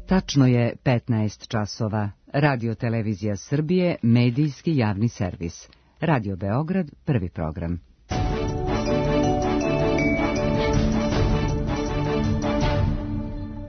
Tačno je 15 časova. Radio Televizija Srbije, medijski javni servis. Radio Beograd, prvi program.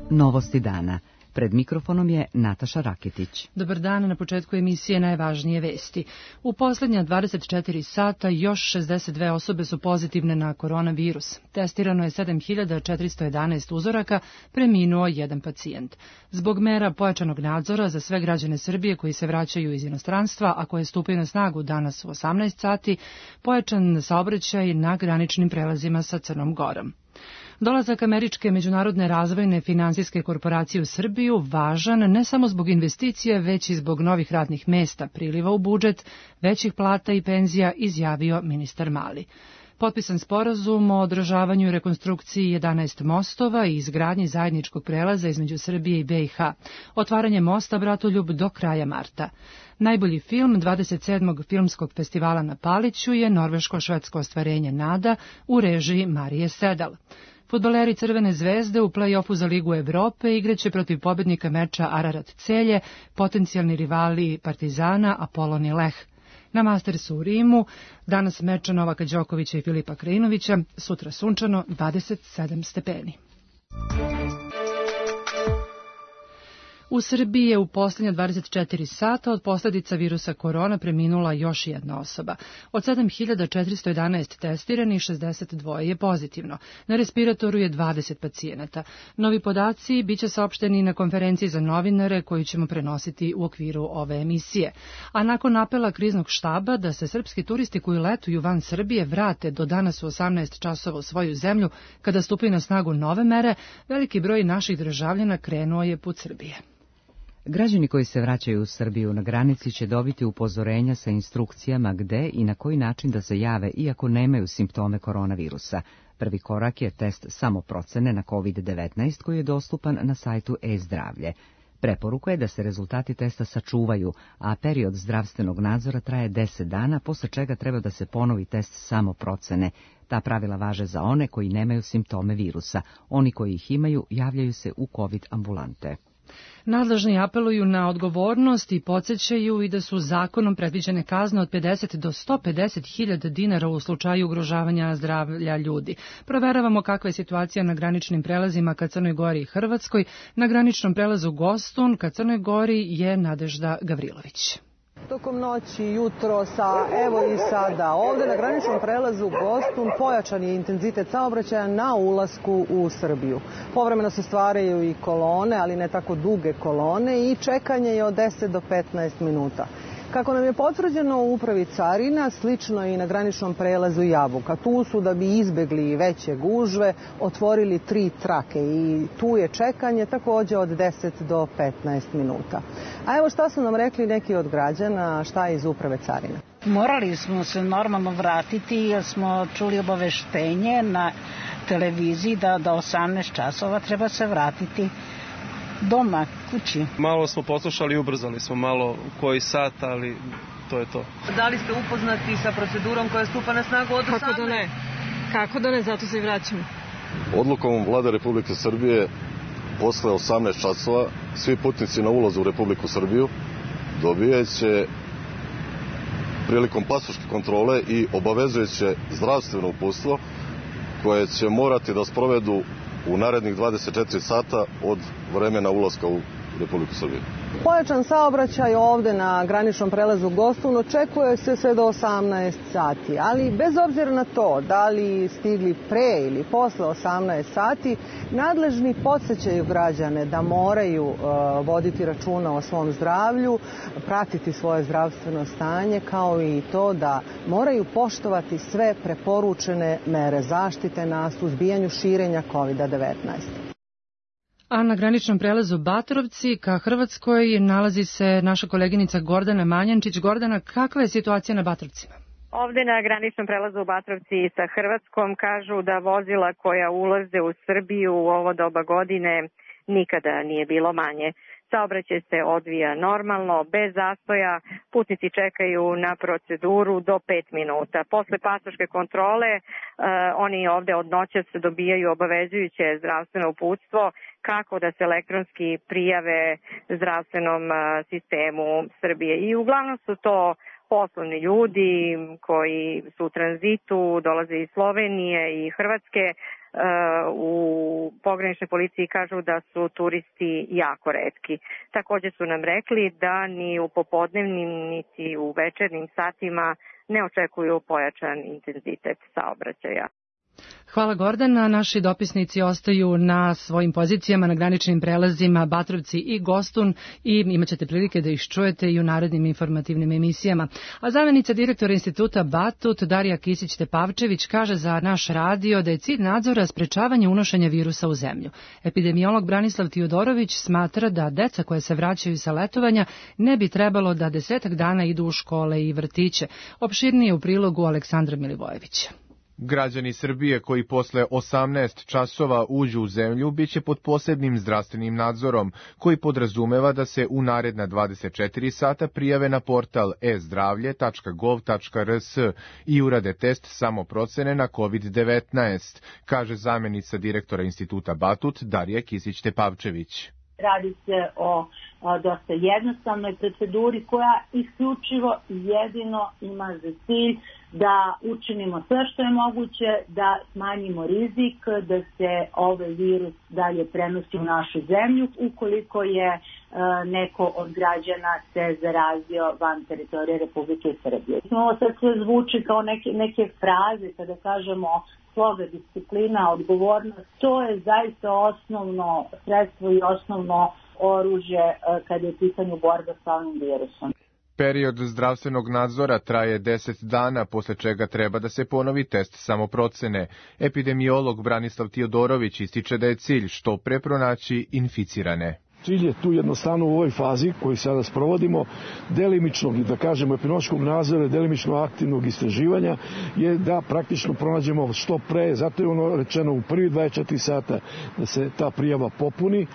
Novosti dana. Pred mikrofonom je Nataša Raketić. Dobar dan, na početku emisije najvažnije vesti. U posljednja 24 sata još 62 osobe su pozitivne na koronavirus. Testirano je 7411 uzoraka, preminuo jedan pacijent. Zbog mera pojačanog nadzora za sve građane Srbije koji se vraćaju iz inostranstva, a koje stupaju na snagu danas u 18 sati, pojačan saobraćaj na graničnim prelazima sa Crnom Gorom. Dolazak Američke međunarodne razvojne finansijske korporacije u Srbiju važan ne samo zbog investicija, već i zbog novih radnih mesta, priliva u budžet, većih plata i penzija, izjavio ministar Mali. Potpisan sporazum o održavanju i rekonstrukciji 11 mostova i izgradnji zajedničkog prelaza između Srbije i BiH. Otvaranje mosta Bratoljub do kraja marta. Najbolji film 27. filmskog festivala na Paliću je norveško-švedsko ostvarenje Nada u režiji Marije Sedal. Fudbaleri Crvene zvezde u play-offu za Ligu Evrope igraće protiv pobednika meča Ararat Celje, potencijalni rivali Partizana, Apolon i Leh. Na Mastersu u Rimu danas meča Novaka Đokovića i Filipa Krajinovića, sutra sunčano 27 stepeni. U Srbiji je u posljednja 24 sata od posljedica virusa korona preminula još jedna osoba. Od 7411 testiranih, 62 je pozitivno. Na respiratoru je 20 pacijenata. Novi podaci biće saopšteni na konferenciji za novinare koju ćemo prenositi u okviru ove emisije. A nakon apela kriznog štaba da se srpski turisti koji letuju van Srbije vrate do danas u 18 časova u svoju zemlju kada stupaju na snagu nove mere, veliki broj naših državljana krenuo je put Srbije. Građani koji se vraćaju u Srbiju na granici će dobiti upozorenja sa instrukcijama gde i na koji način da se jave iako nemaju simptome koronavirusa. Prvi korak je test samoprocene na COVID-19 koji je dostupan na sajtu e-zdravlje. Preporuka je da se rezultati testa sačuvaju, a period zdravstvenog nadzora traje 10 dana, posle čega treba da se ponovi test samoprocene. Ta pravila važe za one koji nemaju simptome virusa. Oni koji ih imaju javljaju se u COVID ambulante. Nadležni apeluju na odgovornost i podsjećaju i da su zakonom predviđene kazne od 50 do 150.000 dinara u slučaju ugrožavanja zdravlja ljudi. Proveravamo kakva je situacija na graničnim prelazima ka Crnoj Gori i Hrvatskoj. Na graničnom prelazu Gostun ka Crnoj Gori je Nadežda Gavrilović. Tokom noći, jutros, evo i sada, ovde na graničnom prelazu Gostun pojačan je intenzitet saobraćaja na ulasku u Srbiju. Povremeno se stvaraju i kolone, ali ne tako duge kolone i čekanje je od 10 do 15 minuta. Kako nam je potvrđeno u upravi carina, slično i na graničnom prelazu Jabuka. Tu su, da bi izbegli veće gužve, otvorili 3 trake i tu je čekanje takođe od 10 do 15 minuta. A evo šta su nam rekli neki od građana, šta je iz uprave carina. Morali smo se normalno vratiti jer smo čuli obaveštenje na televiziji da do 18 časova treba se vratiti doma, kući. Malo smo poslušali i ubrzali smo malo koji sat, ali to je to. Da li ste upoznati sa procedurom koja stupa na snagu od 18? Kako da ne, zato se i vraćamo. Odlukom Vlade Republike Srbije posle 18 časova svi putnici na ulazu u Republiku Srbiju dobijaće prilikom pasoške kontrole i obavezujuće zdravstveno uputstvo koje će morati da sprovedu u narednih 24 sata od vremena ulaska u Republiku Srbiju. Pojačan saobraćaj ovde na graničnom prelazu Gostun očekuje se sve do 18 sati, ali bez obzira na to da li stigli pre ili posle 18 sati, nadležni podsjećaju građane da moraju voditi računa o svom zdravlju, pratiti svoje zdravstveno stanje, kao i to da moraju poštovati sve preporučene mere zaštite na suzbijanju širenja COVID-19. A na graničnom prelazu Batrovci ka Hrvatskoj nalazi se naša koleginica Gordana Manjančić. Gordana, kakva je situacija na Batrovcima? Ovde na graničnom prelazu u Batrovci sa Hrvatskom kažu da vozila koja ulaze u Srbiju u ovo doba godine nikada nije bilo manje. Saobraćaj se odvija normalno, bez zastoja, putnici čekaju na proceduru do 5 minuta. Posle pasoške kontrole oni ovde od noćas dobijaju obavezujuće zdravstveno uputstvo kako da se elektronski prijave zdravstvenom sistemu Srbije. I uglavnom su to poslovni ljudi koji su u tranzitu, dolaze iz Slovenije i Hrvatske. U pograničnoj policiji kažu da su turisti jako retki. Takođe su nam rekli da ni u popodnevnim niti u večernjim satima ne očekuju pojačan intenzitet saobraćaja. Hvala Gordana. Naši dopisnici ostaju na svojim pozicijama na graničnim prelazima Batrovci i Gostun i imat ćete prilike da ih čujete i u narednim informativnim emisijama. A zamjenica direktora instituta Batut Darija Kisić-Tepavčević kaže za naš radio da je cilj nadzora sprečavanje unošenja virusa u zemlju. Epidemiolog Branislav Tiodorović smatra da deca koja se vraćaju sa letovanja ne bi trebalo da 10 dana idu u škole i vrtiće. Opširnije u prilogu Aleksandra Milivojevića. Građani Srbije koji posle 18 časova uđu u zemlju biće pod posebnim zdravstvenim nadzorom, koji podrazumeva da se u naredna 24 sata prijave na portal e-zdravlje.gov.rs i urade test samoprocene na COVID-19, kaže zamjenica direktora instituta Batut Darija Kisić-Tepavčević. Radi se o dosta jednostavnoj proceduri koja isključivo jedino ima za cilj da učinimo sve što je moguće, da smanjimo rizik, da se ovaj virus dalje prenosi u našu zemlju ukoliko je neko od građana se zarazio van teritorije Republike Srbije. Ovo sad sve zvuči kao neke fraze kada kažemo sloga, disciplina, odgovornost. To je zaista osnovno sredstvo i osnovno oružje kada je u pitanju borba sa ovim virusom. Period zdravstvenog nadzora traje 10 dana, posle čega treba da se ponovi test samoprocene. Epidemiolog Branislav Tiodorović ističe da je cilj što pre pronaći inficirane. Cilj je tu jednostavno u ovoj fazi koju sada sprovodimo, delimičnog, da kažemo, epidemiološkog nadzora, delimično aktivnog istraživanja, je da praktično pronađemo što pre, zato je ono rečeno u prvi 24 sata da se ta prijava popuni,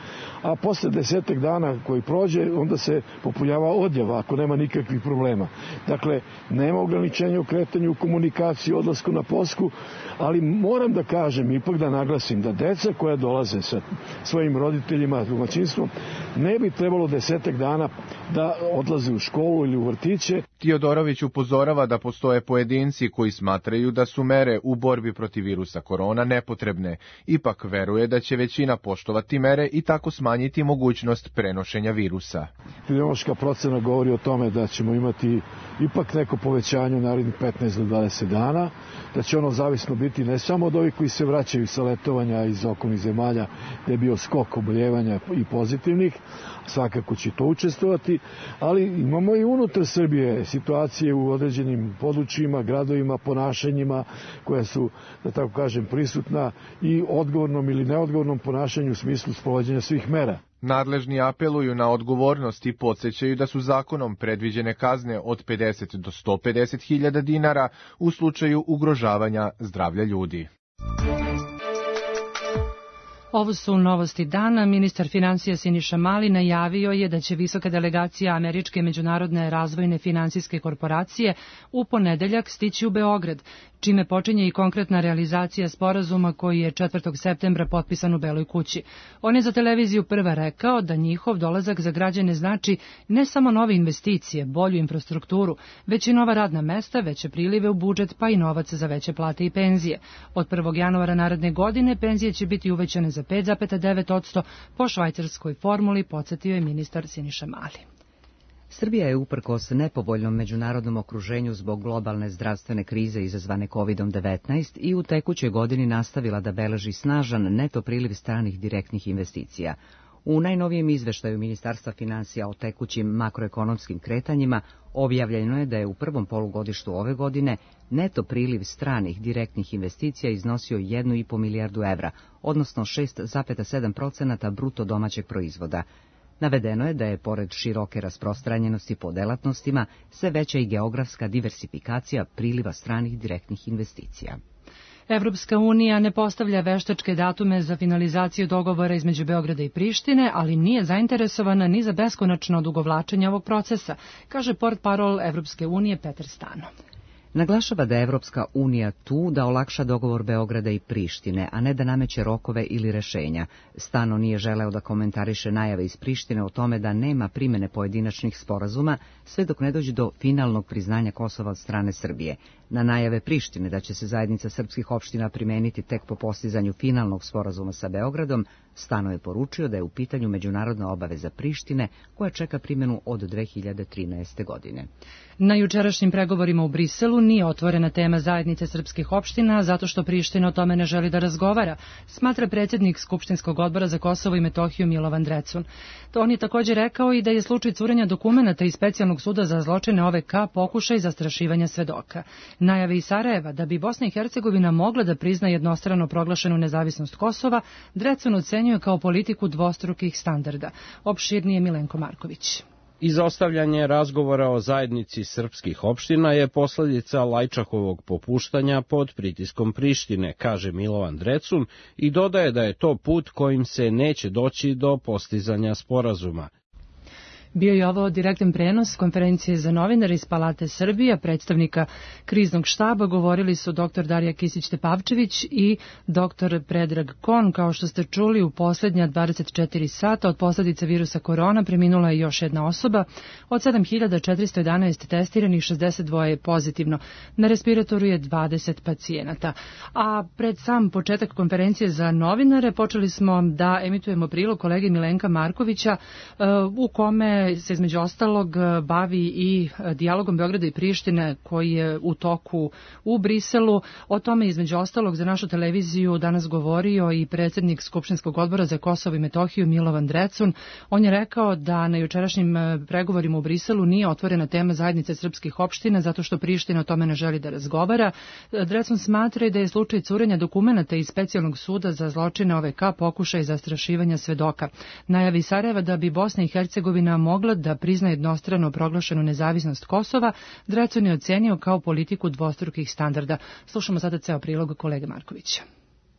a posle 10 dana koji prođe, onda se popunjava odjava ako nema nikakvih problema. Dakle, nema ograničenja u kretanju, u komunikaciji, odlasku na poslu, ali moram da kažem, ipak da naglasim, da deca koja dolaze sa svojim roditeljima, domaćinstvom, ne bi trebalo 10 dana da odlaze u školu ili u vrtiće. Tiodorović upozorava da postoje pojedinci koji smatraju da su mere u borbi protiv virusa korona nepotrebne. Ipak veruje da će većina poštovati mere i tako smanjiti mogućnost prenošenja virusa. Epidemiološka procena govori o tome da ćemo imati ipak neko povećanje u narednih 15 do 20 dana, da će ono zavisno biti ne samo od ovih koji se vraćaju sa letovanja iz okolnih zemalja, gde je bio skok oboljevanja i pozitivnih, svakako će to učestvovati, ali imamo i unutar Srbije situacije u određenim područjima, gradovima, ponašanjima koja su, da tako kažem, prisutna i odgovornom ili neodgovornom ponašanju u smislu sprovođenja svih mera. Nadležni apeluju na odgovornost i podsjećaju da su zakonom predviđene kazne od 50 do 150 hiljada dinara u slučaju ugrožavanja zdravlja ljudi. Ovo su novosti dana. Ministar finansija Siniša Mali najavio je da će visoka delegacija Američke međunarodne razvojne finansijske korporacije u ponedeljak stići u Beograd, čime počinje i konkretna realizacija sporazuma koji je 4. septembra potpisan u Beloj kući. On je za televiziju Prva rekao da njihov dolazak za građane znači ne samo nove investicije, bolju infrastrukturu, već i nova radna mesta, veće prilive u budžet, pa i novac za veće plate i penzije. Od 1. januara naredne godine penzije će biti uvećane za 5,9% po švajcarskoj formuli, podsjetio je ministar Siniša Mali. Srbija je uprkos nepovoljnom međunarodnom okruženju zbog globalne zdravstvene krize izazvane COVID-19 i u tekućoj godini nastavila da beleži snažan neto priliv stranih direktnih investicija. U najnovijem izveštaju Ministarstva finansija o tekućim makroekonomskim kretanjima objavljeno je da je u prvom polugodištu ove godine neto priliv stranih direktnih investicija iznosio 1,5 milijardu evra, odnosno 6,7% bruto domaćeg proizvoda. Navedeno je da je, pored široke rasprostranjenosti po delatnostima, sve veća i geografska diversifikacija priliva stranih direktnih investicija. Evropska unija ne postavlja veštačke datume za finalizaciju dogovora između Beograda i Prištine, ali nije zainteresovana ni za beskonačno odugovlačenje ovog procesa, kaže portparol Evropske unije Petar Stano. Naglašava da je Evropska unija tu da olakša dogovor Beograda i Prištine, a ne da nameće rokove ili rešenja. Stano nije želeo da komentariše najave iz Prištine o tome da nema primene pojedinačnih sporazuma, sve dok ne dođe do finalnog priznanja Kosova od strane Srbije. Na najave Prištine da će se zajednica srpskih opština primeniti tek po postizanju finalnog sporazuma sa Beogradom, Stano je poručio da je u pitanju međunarodna obaveza Prištine koja čeka primjenu od 2013. godine. Na jučerašnjim pregovorima u Briselu nije otvorena tema zajednice srpskih opština zato što Priština o tome ne želi da razgovara, smatra predsjednik Skupštinskog odbora za Kosovo i Metohiju Milovan Drecun. On je također rekao i da je slučaj curenja dokumenata iz Specijalnog suda za zločine OVK pokušaj zastrašivanja svedoka. Najave iz Sarajeva da bi Bosna i Hercegovina mogla da prizna jednostrano proglašenu nezavisnost Kosova, Drecun ocenjuje kao politiku dvostrukih standarda. Opširnije Milenko Marković. Izostavljanje razgovora o zajednici srpskih opština je posljedica Lajčakovog popuštanja pod pritiskom Prištine, kaže Milovan Drecun i dodaje da je to put kojim se neće doći do postizanja sporazuma. Bio je ovo direktan prenos konferencije za novinare iz Palate Srbije, predstavnika kriznog štaba. Govorili su dr. Darija Kisić-Tepavčević i dr. Predrag Kon. Kao što ste čuli, u posljednja 24 sata od posljedice virusa korona preminula je još jedna osoba. Od 7411 testiranih, 62 je pozitivno. Na respiratoru je 20 pacijenata. A pred sam početak konferencije za novinare počeli smo da emitujemo prilog kolege Milenka Markovića u kome se između ostalog bavi i dijalogom Beograda i Prištine koji je u toku u Briselu. O tome između ostalog za našu televiziju danas govorio i predsjednik Skupštinskog odbora za Kosovo i Metohiju Milovan Drecun. On je rekao da na jučerašnjim pregovorima u Briselu nije otvorena tema zajednice srpskih opština zato što Priština o tome ne želi da razgovara. Drecun smatra da je slučaj curenja dokumenata iz Specijalnog suda za zločine OVK pokušaj zastrašivanja svedoka. Najavi Sarajeva da bi Bosna i Hercegovina mogla da prizna jednostrano proglašenu nezavisnost Kosova, Drecun je ocenio kao politiku dvostrukih standarda. Slušamo sada ceo prilog kolege Markovića.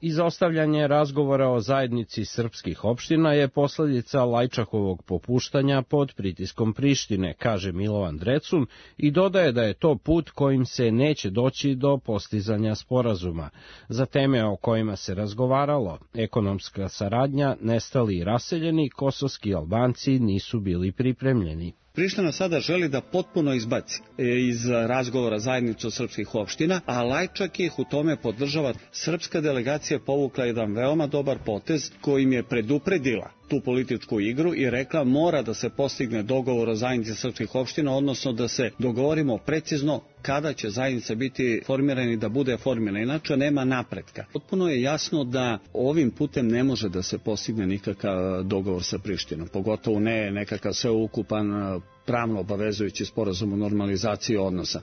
Izostavljanje razgovora o zajednici srpskih opština je posljedica Lajčakovog popuštanja pod pritiskom Prištine, kaže Milovan Drecun i dodaje da je to put kojim se neće doći do postizanja sporazuma. Za teme o kojima se razgovaralo, ekonomska saradnja, nestali i raseljeni, kosovski Albanci nisu bili pripremljeni. Priština sada želi da potpuno izbaci iz razgovora zajednicu srpskih opština, a Lajčak ih u tome podržava. Srpska delegacija povukla jedan veoma dobar potez kojim je predupredila tu političku igru i rekla mora da se postigne dogovor o zajednici srpskih opština, odnosno da se dogovorimo precizno kada će zajednica biti formirana i da bude formirana, inače nema napretka. Potpuno je jasno da ovim putem ne može da se postigne nikakav dogovor sa Prištinom, pogotovo ne nekakav sveukupan pravno obavezujući sporazum o normalizaciji odnosa.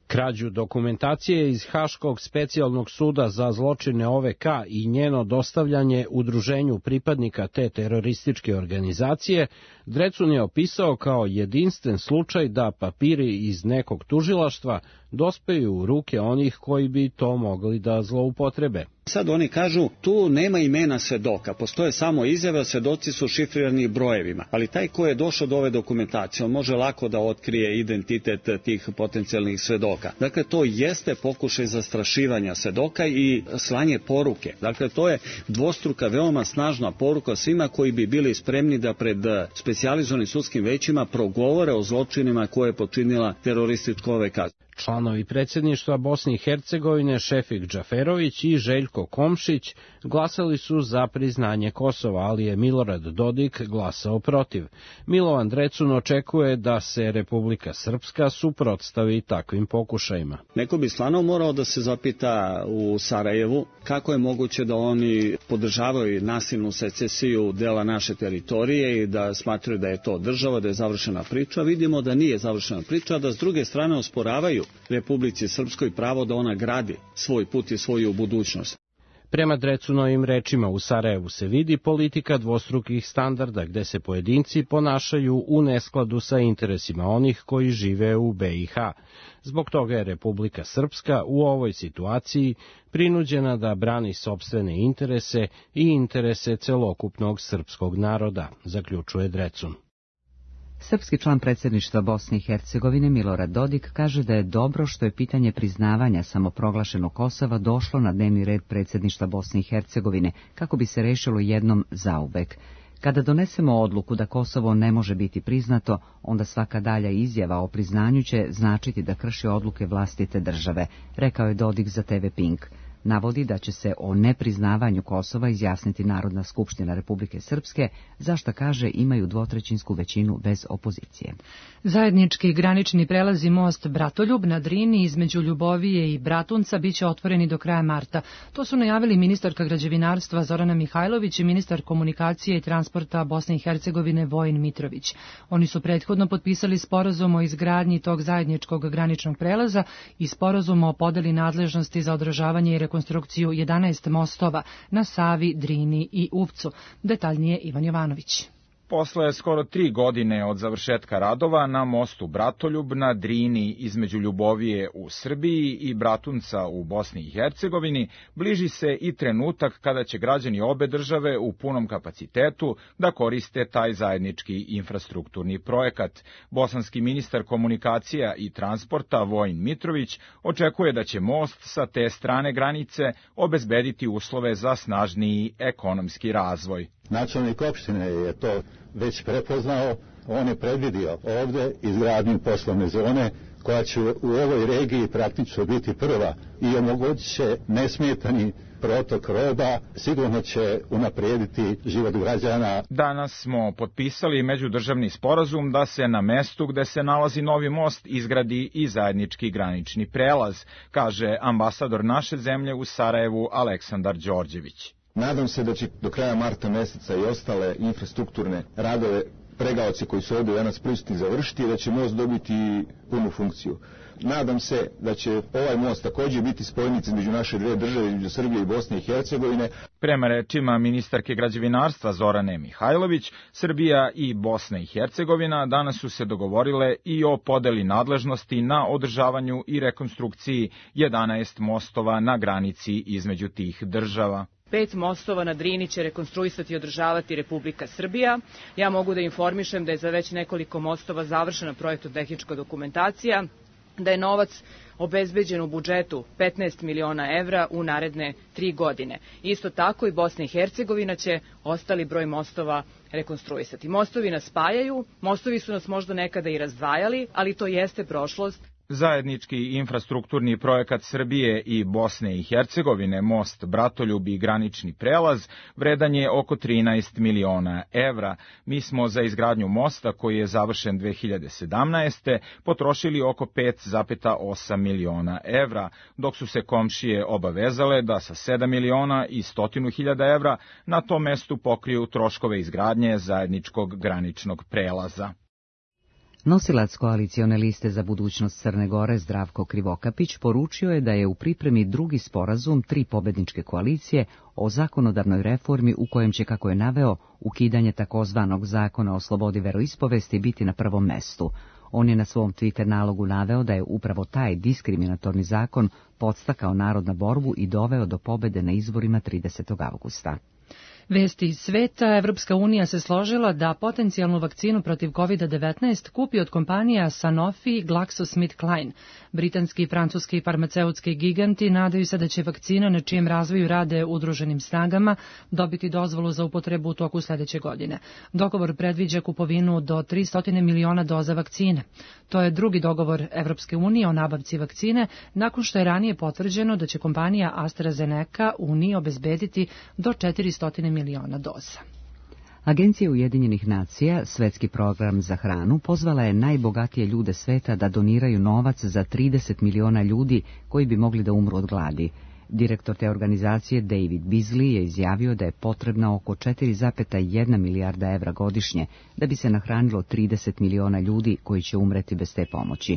Krađu dokumentacije iz Haškog specijalnog suda za zločine OVK i njeno dostavljanje udruženju pripadnika te terorističke organizacije, Drecun je opisao kao jedinstven slučaj da papiri iz nekog tužilaštva dospeju u ruke onih koji bi to mogli da zloupotrebe. Sad oni kažu, tu nema imena svedoka, postoje samo izjave, svedoci su šifrirani brojevima, ali taj ko je došao do ove dokumentacije, on može lako da otkrije identitet tih potencijalnih svedoka. Dakle, to jeste pokušaj zastrašivanja svedoka i slanje poruke. Dakle, to je dvostruka, veoma snažna poruka svima koji bi bili spremni da pred specijalizovanim sudskim većima progovore o zločinima koje je počinila teroristička OVK. Članovi predsjedništva Bosne i Hercegovine Šefik Džaferović i Željko Komšić glasali su za priznanje Kosova, ali je Milorad Dodik glasao protiv. Milovan Drecun očekuje da se Republika Srpska suprotstavi takvim pokušajima. Neko bi stvarno morao da se zapita u Sarajevu kako je moguće da oni podržavaju nasilnu secesiju dela naše teritorije i da smatraju da je to država, da je završena priča. Vidimo da nije završena priča, da s druge strane osporavaju Republici Srpskoj pravo da ona gradi svoj put i svoju budućnost. Prema Drecunovim rečima, u Sarajevu se vidi politika dvostrukih standarda gde se pojedinci ponašaju u neskladu sa interesima onih koji žive u BiH. Zbog toga je Republika Srpska u ovoj situaciji prinuđena da brani sopstvene interese i interese celokupnog srpskog naroda, zaključuje Drecun. Srpski član predsjedništva Bosne i Hercegovine Milorad Dodik kaže da je dobro što je pitanje priznavanja samoproglašenog Kosova došlo na dnevni red predsjedništva Bosne i Hercegovine kako bi se rešilo jednom zauvek. Kada donesemo odluku da Kosovo ne može biti priznato, onda svaka dalja izjava o priznanju će značiti da krši odluke vlastite države, rekao je Dodik za TV Pink. Navodi da će se o nepriznavanju Kosova izjasniti Narodna skupština Republike Srpske, za šta kaže imaju dvotrećinsku većinu bez opozicije. Zajednički granični prelazi most Bratoljub na Drini između Ljubovije i Bratunca biće otvoreni do kraja marta. To su najavili ministarka građevinarstva Zorana Mihajlović i ministar komunikacije i transporta Bosne i Hercegovine Vojin Mitrović. Oni su prethodno potpisali sporazum o izgradnji tog zajedničkog graničnog prelaza i sporazum o podeli nadležnosti za održavanje i rekonstrukciju 11 mostova na Savi, Drini i Uvcu. Detaljnije Ivan Jovanović. Posle skoro 3 godine od završetka radova na mostu Bratoljub na Drini između Ljubovije u Srbiji i Bratunca u Bosni i Hercegovini, bliži se i trenutak kada će građani obe države u punom kapacitetu da koriste taj zajednički infrastrukturni projekat. Bosanski ministar komunikacija i transporta Vojin Mitrović očekuje da će most sa te strane granice obezbediti uslove za snažniji ekonomski razvoj. Načelnik opštine je to već prepoznao, on je predvidio ovde izgradnju poslovne zone koja će u ovoj regiji praktično biti prva i omogućit će nesmetani protok roba, sigurno će unaprijediti život građana. Danas smo potpisali međudržavni sporazum da se na mestu gde se nalazi novi most izgradi i zajednički granični prelaz, kaže ambasador naše zemlje u Sarajevu Aleksandar Đorđević. Nadam se da će do kraja marta meseca i ostale infrastrukturne radove pregaoci koji su ovdje danas prisutni završiti i da će most dobiti punu funkciju. Nadam se da će ovaj most također biti spojnica između naše dve države, između Srbije i Bosne i Hercegovine. Prema rečima ministarke građevinarstva Zorane Mihajlović, Srbija i Bosna i Hercegovina danas su se dogovorile i o podeli nadležnosti na održavanju i rekonstrukciji 11 mostova na granici između tih država. 5 mostova na Drini će rekonstruisati i održavati Republika Srbija. Ja mogu da informišem da je za već nekoliko mostova završena projektno-tehnička dokumentacija, da je novac obezbeđen u budžetu 15 miliona evra u naredne 3 godine. Isto tako i Bosna i Hercegovina će ostali broj mostova rekonstruisati. Mostovi nas spajaju, mostovi su nas možda nekada i razdvajali, ali to jeste prošlost. Zajednički infrastrukturni projekat Srbije i Bosne i Hercegovine, most Bratoljub i granični prelaz, vredan je oko 13 miliona evra. Mi smo za izgradnju mosta, koji je završen 2017. potrošili oko 5,8 miliona evra, dok su se komšije obavezale da sa 7 miliona i 100.000 evra na tom mestu pokriju troškove izgradnje zajedničkog graničnog prelaza. Nosilac koalicione liste za budućnost Crne Gore Zdravko Krivokapić poručio je da je u pripremi drugi sporazum 3 pobedničke koalicije o zakonodavnoj reformi u kojem će, kako je naveo, ukidanje takozvanog zakona o slobodi veroispovesti biti na prvom mestu. On je na svom Twitter nalogu naveo da je upravo taj diskriminatorni zakon podstakao narod na borbu i doveo do pobede na izborima 30. avgusta. Vesti iz sveta. Evropska unija se složila da potencijalnu vakcinu protiv COVID-19 kupi od kompanija Sanofi i GlaxoSmithKline. Britanski i francuski farmaceutski giganti nadaju se da će vakcina, na čijem razvoju rade udruženim snagama, dobiti dozvolu za upotrebu u toku sljedeće godine. Dogovor predviđa kupovinu do 300 miliona doza vakcine. To je drugi dogovor Evropske unije o nabavci vakcine, nakon što je ranije potvrđeno da će kompanija AstraZeneca Uniji obezbediti do 400 miliona doza. Agencija Ujedinjenih nacija, Svetski program za hranu, pozvala je najbogatije ljude sveta da doniraju novac za 30 miliona ljudi koji bi mogli da umru od gladi. Direktor te organizacije David Beasley je izjavio da je potrebna oko 4,1 milijarda evra godišnje da bi se nahranilo 30 miliona ljudi koji će umreti bez te pomoći.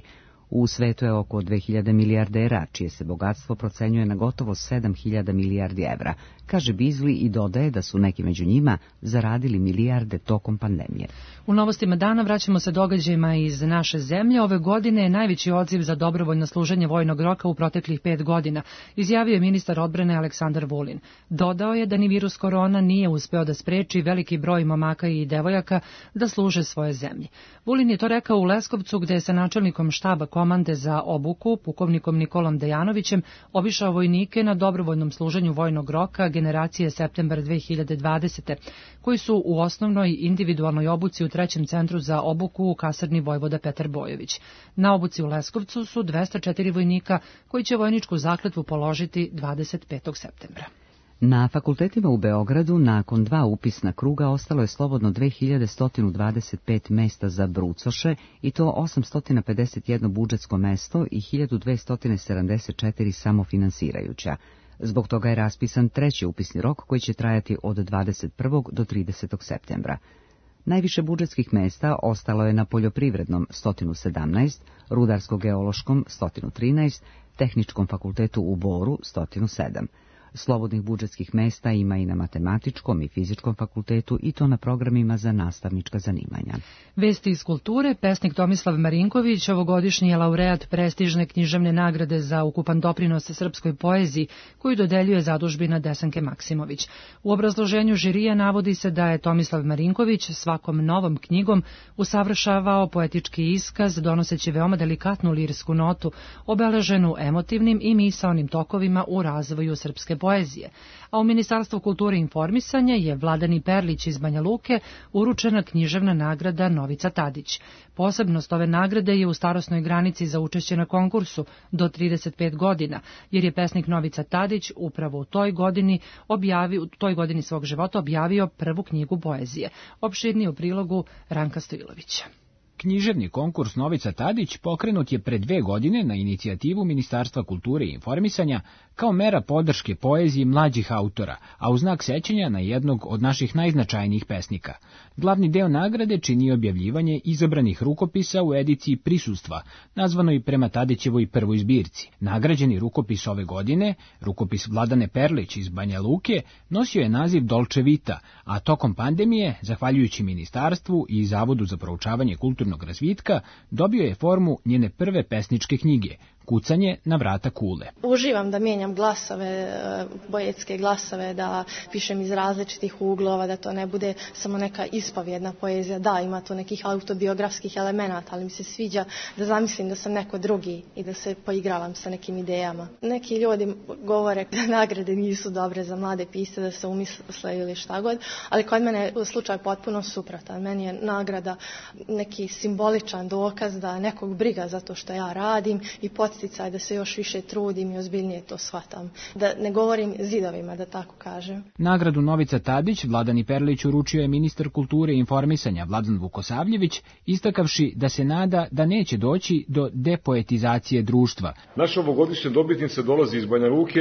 U svetu je oko 2000 milijardera, čije se bogatstvo procenjuje na gotovo 7000 milijardi evra, kaže Beasley i dodaje da su neki među njima zaradili milijarde tokom pandemije. U novostima dana vraćamo se događajima iz naše zemlje. Ove godine je najveći odziv za dobrovoljno služenje vojnog roka u proteklih 5 godina, izjavio je ministar odbrane Aleksandar Vulin. Dodao je da ni virus korona nije uspeo da spreči veliki broj momaka i devojaka da služe svoje zemlji. Vulin je to rekao u Leskovcu, gde je sa načelnikom štaba komande za obuku, pukovnikom Nikolom Dejanovićem, obišao vojnike na dobrovoljnom služenju vojnog roka generacije septembar 2020. koji su u osnovnoj individualnoj obuci u 3. centru za obuku u kasarni Vojvoda Petar Bojović. Na obuci u Leskovcu su 204 vojnika koji će vojničku zakletvu položiti 25. septembra. Na fakultetima u Beogradu nakon 2 upisna kruga ostalo je slobodno 2125 mesta za brucoše i to 851 budžetsko mesto i 1274 samofinansirajuća. Zbog toga je raspisan 3. upisni rok koji će trajati od 21. do 30. septembra. Najviše budžetskih mesta ostalo je na poljoprivrednom 117, rudarsko-geološkom 113, tehničkom fakultetu u Boru 107. Slobodnih budžetskih mesta ima i na matematičkom i fizičkom fakultetu i to na programima za nastavnička zanimanja. Vesti iz kulture, pesnik Tomislav Marinković ovogodišnji je laureat prestižne književne nagrade za ukupan doprinos srpskoj poeziji koju dodeljuje zadužbina Desanke Maksimović. U obrazloženju žirija navodi se da je Tomislav Marinković svakom novom knjigom usavršavao poetički iskaz donoseći veoma delikatnu lirsku notu, obeleženu emotivnim i misaonim tokovima u razvoju srpske poezije, a u Ministarstvu kulture i informisanja je Vladani Perlić iz Banja Luke uručena književna nagrada Novica Tadić. Posebnost ove nagrade je u starosnoj granici za učešće na konkursu do 35 godina, jer je pesnik Novica Tadić upravo u toj godini svog života objavio prvu knjigu poezije. Opširnije u prilogu Ranka Stojilovića. Književni konkurs Novica Tadić pokrenut je pre 2 godine na inicijativu Ministarstva kulture i informisanja kao mera podrške poeziji mlađih autora, a u znak sećanja na jednog od naših najznačajnijih pesnika. Glavni deo nagrade čini objavljivanje izabranih rukopisa u ediciji Prisustva, nazvanoj prema Tadićevoj prvoj zbirci. Nagrađeni rukopis ove godine, rukopis Vladane Perlić iz Banja Luke, nosio je naziv Dolce Vita, a tokom pandemije, zahvaljujući Ministarstvu i Zavodu za proučavanje kulturnog razvitka, dobio je formu njene prve pesničke knjige, Kucanje na vrata kule. Uživam da mijenjam glasove, poetske glasove, da pišem iz različitih uglova, da to ne bude samo neka ispovjedna poezija. Da, ima to nekih autobiografskih elemenata, ali mi se sviđa da zamislim da sam neko drugi i da se poigravam sa nekim idejama. Neki ljudi govore da nagrade nisu dobre za mlade pisce, da se umisle ili šta god, ali kod mene je slučaj potpuno suprotan. Meni je nagrada neki simboličan dokaz da nekog briga za to što ja radim i podsticaj da se još više trudim i ozbiljnije to shvatam. Da ne govorim zidovima, da tako kažem. Nagradu Novica Tadić Vladani Perlić uručio je ministar kulture i informisanja Vladan Vukosavljević, istakavši da se nada da neće doći do depoetizacije društva. Naša ovogodišnja dobitnica dolazi iz Banja Luke,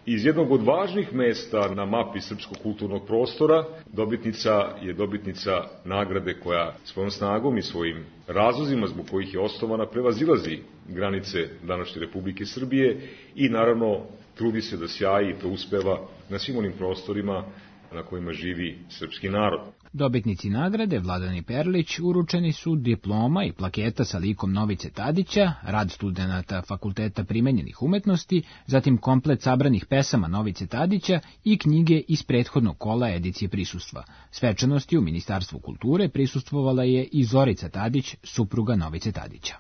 iz jednog od važnih mesta na mapi srpskog kulturnog prostora. Dobitnica je dobitnica nagrade koja svojom snagom i svojim razlozima zbog kojih je osnovana prevazilazi granice današnje Republike Srbije i naravno trudi se da sjaji i to uspeva na svim onim prostorima na kojima živi srpski narod. Dobitnici nagrade Vladani Perlić uručeni su diploma i plaketa sa likom Novice Tadića, rad studenata Fakulteta primenjenih umetnosti, zatim komplet sabranih pesama Novice Tadića i knjige iz prethodnog kola edicije Prisustva. Svečanosti u Ministarstvu kulture prisustvovala je i Zorica Tadić, supruga Novice Tadića.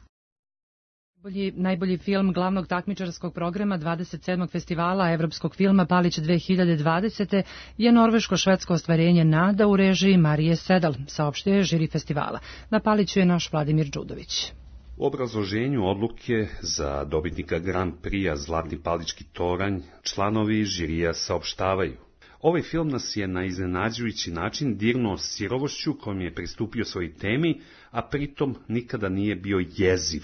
Najbolji film glavnog takmičarskog programa 27. festivala evropskog filma Palić 2020. je norveško-švedsko ostvarenje Nada u režiji Marije Sedal, saopštio je žiri festivala. Na Paliću je naš Vladimir Đudović. U obrazloženju odluke za dobitnika Grand Prix-a Zlatni palički toranj članovi žirija saopštavaju: ovaj film nas je na iznenađujući način dirnuo sirovošću kojom je pristupio svoj temi, a pritom nikada nije bio jeziv.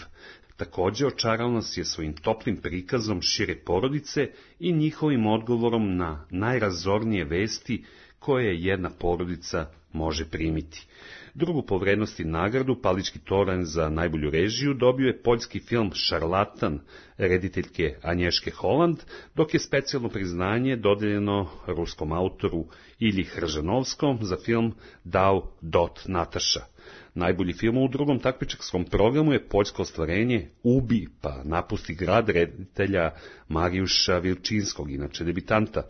Također očarao nas je svojim toplim prikazom šire porodice i njihovim odgovorom na najrazornije vesti koje jedna porodica može primiti. Drugu po vrednosti nagradu, Palički toranj za najbolju režiju, dobio je poljski film Šarlatan rediteljke Anješke Holand, dok je specijalno priznanje dodeljeno ruskom autoru Ilji Hržanovskom za film Dao Dot Nataša. Najbolji film u drugom takmičarskom programu je poljsko ostvarenje Ubi pa napusti grad reditelja Marijuša Vilčinskog, inače debitanta.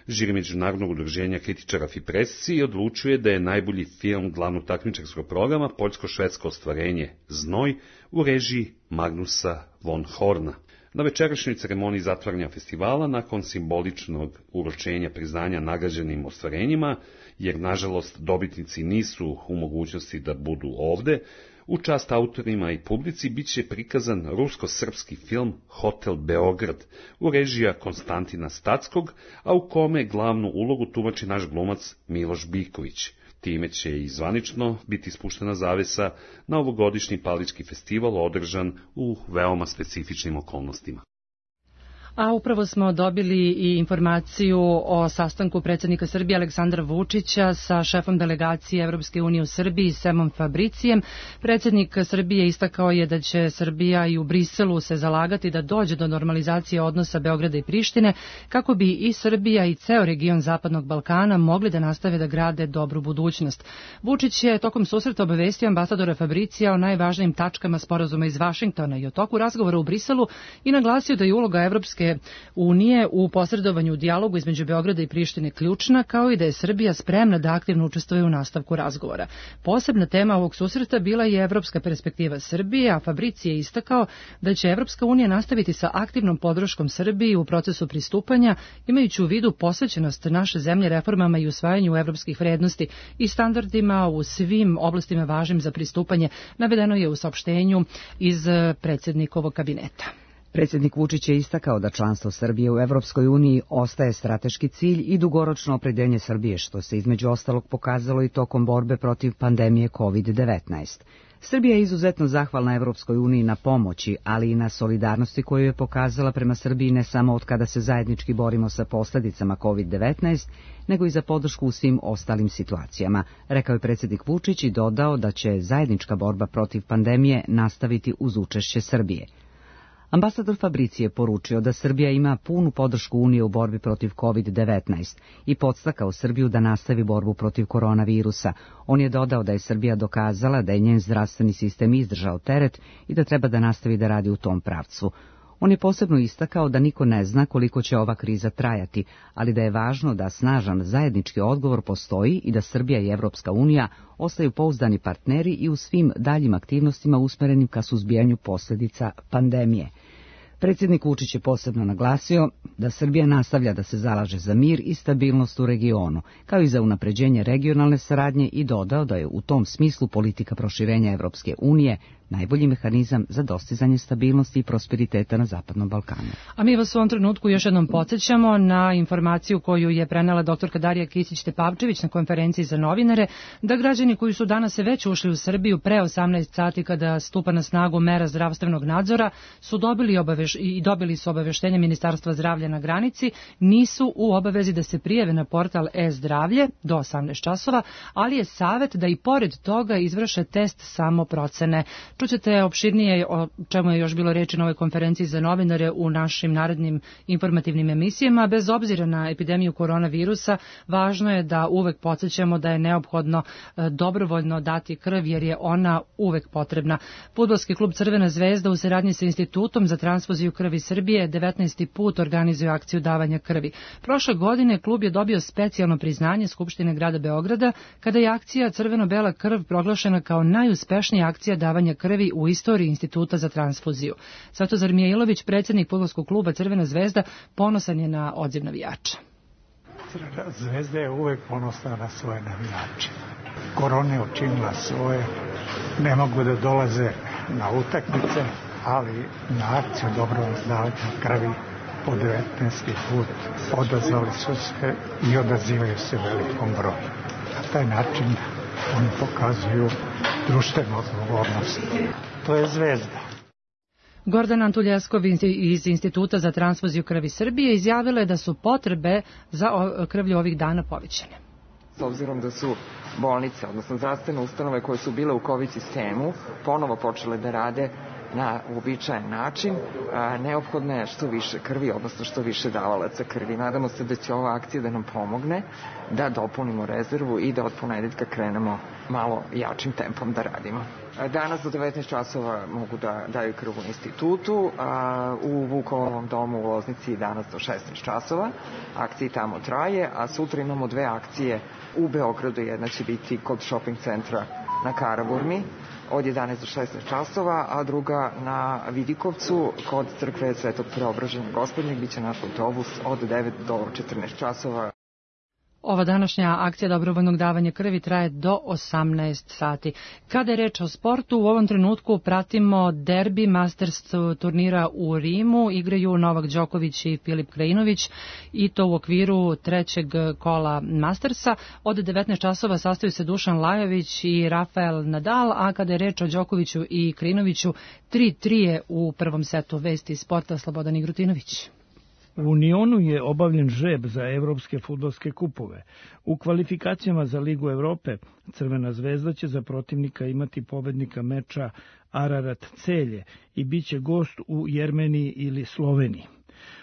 Žiri Međunarodnog udruženja kritičara Fipresci odlučuje da je najbolji film glavnog takmičarskog programa poljsko-švedsko ostvarenje Znoj u režiji Magnusa von Horna. Na večerašnjoj ceremoniji zatvaranja festivala, nakon simboličnog uručenja priznanja nagrađenim ostvarenjima, jer nažalost dobitnici nisu u mogućnosti da budu ovde, u čast autorima i publici bit će prikazan rusko-srpski film Hotel Beograd u režiji Konstantina Stackog, a u kome glavnu ulogu tumači naš glumac Miloš Biković. Time će i zvanično biti spuštena zavesa na ovogodišnji Palički festival održan u veoma specifičnim okolnostima. A upravo smo dobili i informaciju o sastanku predsjednika Srbije Aleksandra Vučića sa šefom delegacije Evropske unije u Srbiji Semom Fabricijem. Predsjednik Srbije istakao je da će Srbija i u Briselu se zalagati da dođe do normalizacije odnosa Beograda i Prištine, kako bi i Srbija i ceo region Zapadnog Balkana mogli da nastave da grade dobru budućnost. Vučić je tokom susreta obavestio ambasadora Fabricija o najvažnijim tačkama sporazuma iz Vašingtona i o toku razgovora u Briselu i naglasio da je uloga Evropske unije u posredovanju u dijalogu između Beograda i Prištine ključna, kao i da je Srbija spremna da aktivno učestvuje u nastavku razgovora. Posebna tema ovog susreta bila je evropska perspektiva Srbije, a Fabrici je istakao da će Evropska unija nastaviti sa aktivnom podrškom Srbiji u procesu pristupanja, imajući u vidu posvećenost naše zemlje reformama i usvajanju evropskih vrednosti i standardima u svim oblastima važnim za pristupanje, navedeno je u saopštenju iz predsjednikovog kabineta. Predsjednik Vučić je istakao da članstvo Srbije u Evropskoj uniji ostaje strateški cilj i dugoročno opredeljenje Srbije, što se između ostalog pokazalo i tokom borbe protiv pandemije COVID-19. Srbija je izuzetno zahvalna Evropskoj uniji na pomoći, ali i na solidarnosti koju je pokazala prema Srbiji ne samo od kada se zajednički borimo sa posljedicama COVID-19, nego i za podršku u svim ostalim situacijama, rekao je predsjednik Vučić i dodao da će zajednička borba protiv pandemije nastaviti uz učešće Srbije. Ambasador Fabrici je poručio da Srbija ima punu podršku Unije u borbi protiv COVID-19 i podstakao Srbiju da nastavi borbu protiv koronavirusa. On je dodao da je Srbija dokazala da je njen zdravstveni sistem izdržao teret i da treba da nastavi da radi u tom pravcu. On je posebno istakao da niko ne zna koliko će ova kriza trajati, ali da je važno da snažan zajednički odgovor postoji i da Srbija i Evropska unija ostaju pouzdani partneri i u svim daljim aktivnostima usmerenim ka suzbijanju posljedica pandemije. Predsjednik Vučić je posebno naglasio da Srbija nastavlja da se zalaže za mir i stabilnost u regionu, kao i za unapređenje regionalne saradnje i dodao da je u tom smislu politika proširenja Evropske unije najbolji mehanizam za dostizanje stabilnosti i prosperiteta na Zapadnom Balkanu. A mi vas u ovom trenutku još jednom podsjećamo na informaciju koju je prenela doktorka Darija Kisić-Tepavčević na konferenciji za novinare, da građani koji su danas već ušli u Srbiju pre 18 sati kada stupa na snagu mera zdravstvenog nadzora su dobili su obaveštenje Ministarstva zdravlja na granici, nisu u obavezi da se prijave na portal e-zdravlje do 18 časova, ali je savjet da i pored toga izvrše test samoprocene. Čućete opširnije o čemu je još bilo reči na ovoj konferenciji za novinare u našim narednim informativnim emisijama. Bez obzira na epidemiju koronavirusa, važno je da uvek podsjećamo da je neophodno dobrovoljno dati krv jer je ona uvek potrebna. Fudbalski klub Crvena zvezda u saradnji sa Institutom za transfuziju krvi Srbije 19. put organizuje akciju davanja krvi. Prošle godine klub je dobio specijalno priznanje Skupštine grada Beograda kada je akcija Crveno-bela krv proglašena kao najuspešnija akcija davanja krvi u istoriji Instituta za transfuziju. Svetozar Mijailović, predsjednik fudbalskog kluba Crvena zvezda, ponosan je na odziv navijača. Crvena zvezda je uvek ponosna na svoje navijače. Korona je učinila svoje, ne mogu da dolaze na utakmice, ali na akciju dobrovoljnog davanja krvi po 19. put odazvali su se i odazivaju se velikom broju. Na taj način oni pokazuju društvenu odgovornost. To je zvezda. Gordana Antuljeskov iz Instituta za transfuziju krvi Srbije izjavila je da su potrebe za krvlju ovih dana povećane. s obzirom da su bolnice, odnosno zdravstvene ustanove koje su bile u COVID sistemu, ponovo počele da rade na uobičajen način, neophodno je što više krvi, odnosno što više davalaca krvi. Nadamo se da će ova akcija da nam pomogne da dopunimo rezervu i da od ponedeljka krenemo malo jačim tempom da radimo. Danas do 19 časova mogu da daju krv u institutu, u Vukovom domu u Loznici danas do 16 časova. Akcija tamo traje, a sutra imamo dve akcije u Beogradu. Jedna će biti kod shopping centra na Karaburmi od 11 do 16 časova, a druga na Vidikovcu kod crkve Svetog Preobraženja Gospodnjeg. Biće naš autobus od 9 do 14 časova. Ova današnja akcija dobrovoljnog davanja krvi traje do 18 sati. Kada je reč o sportu, u ovom trenutku pratimo derbi Masters turnira u Rimu. Igraju Novak Đoković i Filip Krajinović i to u okviru trećeg kola Mastersa. Od 19 časova sastaju se Dušan Lajović i Rafael Nadal, a kada je reč o Đokoviću i Krajinoviću, 3-3 je u prvom setu. Vesti iz sporta, Slobodan Igrutinović. U Unionu je obavljen žreb za evropske fudbalske kupove. U kvalifikacijama za Ligu Evrope Crvena zvezda će za protivnika imati pobednika meča Ararat Celje i bit će gost u Jermeniji ili Sloveniji.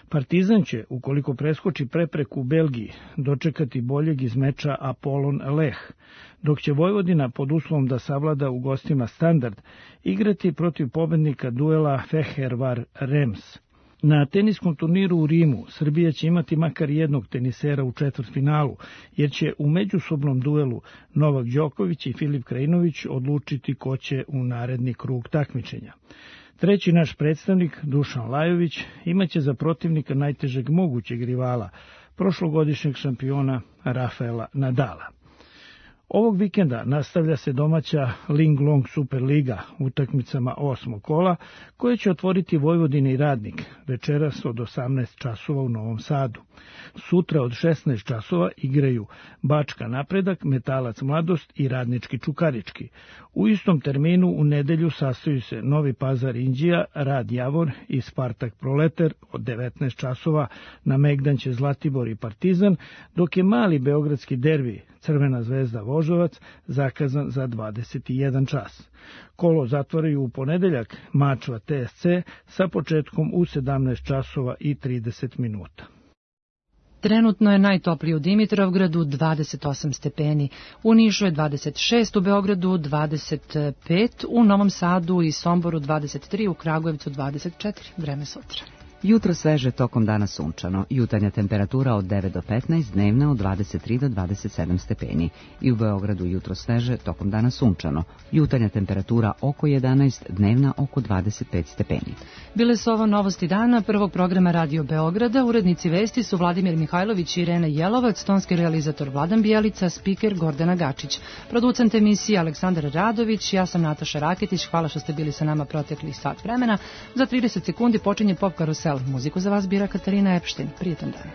Partizan će, ukoliko preskoči prepreku u Belgiji, dočekati boljeg iz meča Apollon Leh, dok će Vojvodina, pod uslovom da savlada u gostima Standard, igrati protiv pobednika duela Fehervar Rems. Na teniskom turniru u Rimu Srbija će imati makar jednog tenisera u četvrtfinalu, jer će u međusobnom duelu Novak Đoković i Filip Krajinović odlučiti ko će u naredni krug takmičenja. Treći naš predstavnik, Dušan Lajović, imaće za protivnika najtežeg mogućeg rivala, prošlogodišnjeg šampiona Rafaela Nadala. Ovog vikenda nastavlja se domaća Ling Long Superliga utakmicama 8. kola, koje će otvoriti Vojvodina i Radnik večeras od 18 časova u Novom Sadu. Sutra od 16 časova igraju Bačka Napredak, Metalac Mladost i Radnički Čukarički. U istom terminu u nedelju sastaju se Novi Pazar Inđija, Rad Javor i Spartak Proleter od 19 časova, na Megdan će Zlatibor i Partizan, dok je mali beogradski derbi Crvena zvezda Voždovac zakazan za 21 čas. Kolo zatvaraju u ponedeljak Mačva TSC sa početkom u 17 časova i 30 minuta. Trenutno je najtopliji u Dimitrovgradu 28 stepeni, u Nišu je 26, u Beogradu 25, u Novom Sadu i Somboru 23, u Kragujevcu 24. Vreme sutra. Jutro sveže, tokom dana sunčano. Jutarnja temperatura od 9 do 15, dnevna od 23 do 27 stepeni. I u Beogradu jutro sveže, tokom dana sunčano. Jutarnja temperatura oko 11, dnevna oko 25 stepeni. Bile su ovo novosti dana prvog programa Radio Beograda. Urednici vesti su Vladimir Mihajlović i Irena Jelovac, tonski realizator Vladan Bijelica, spiker Gordana Gačić. Producent emisije Aleksandar Radović, ja sam Nataša Raketić. Hvala što ste bili sa nama proteklih sat vremena. Za 30 sekundi počinje Pop Karusel. Muziku za vas bira Katarina Epštin. Prijetan dan.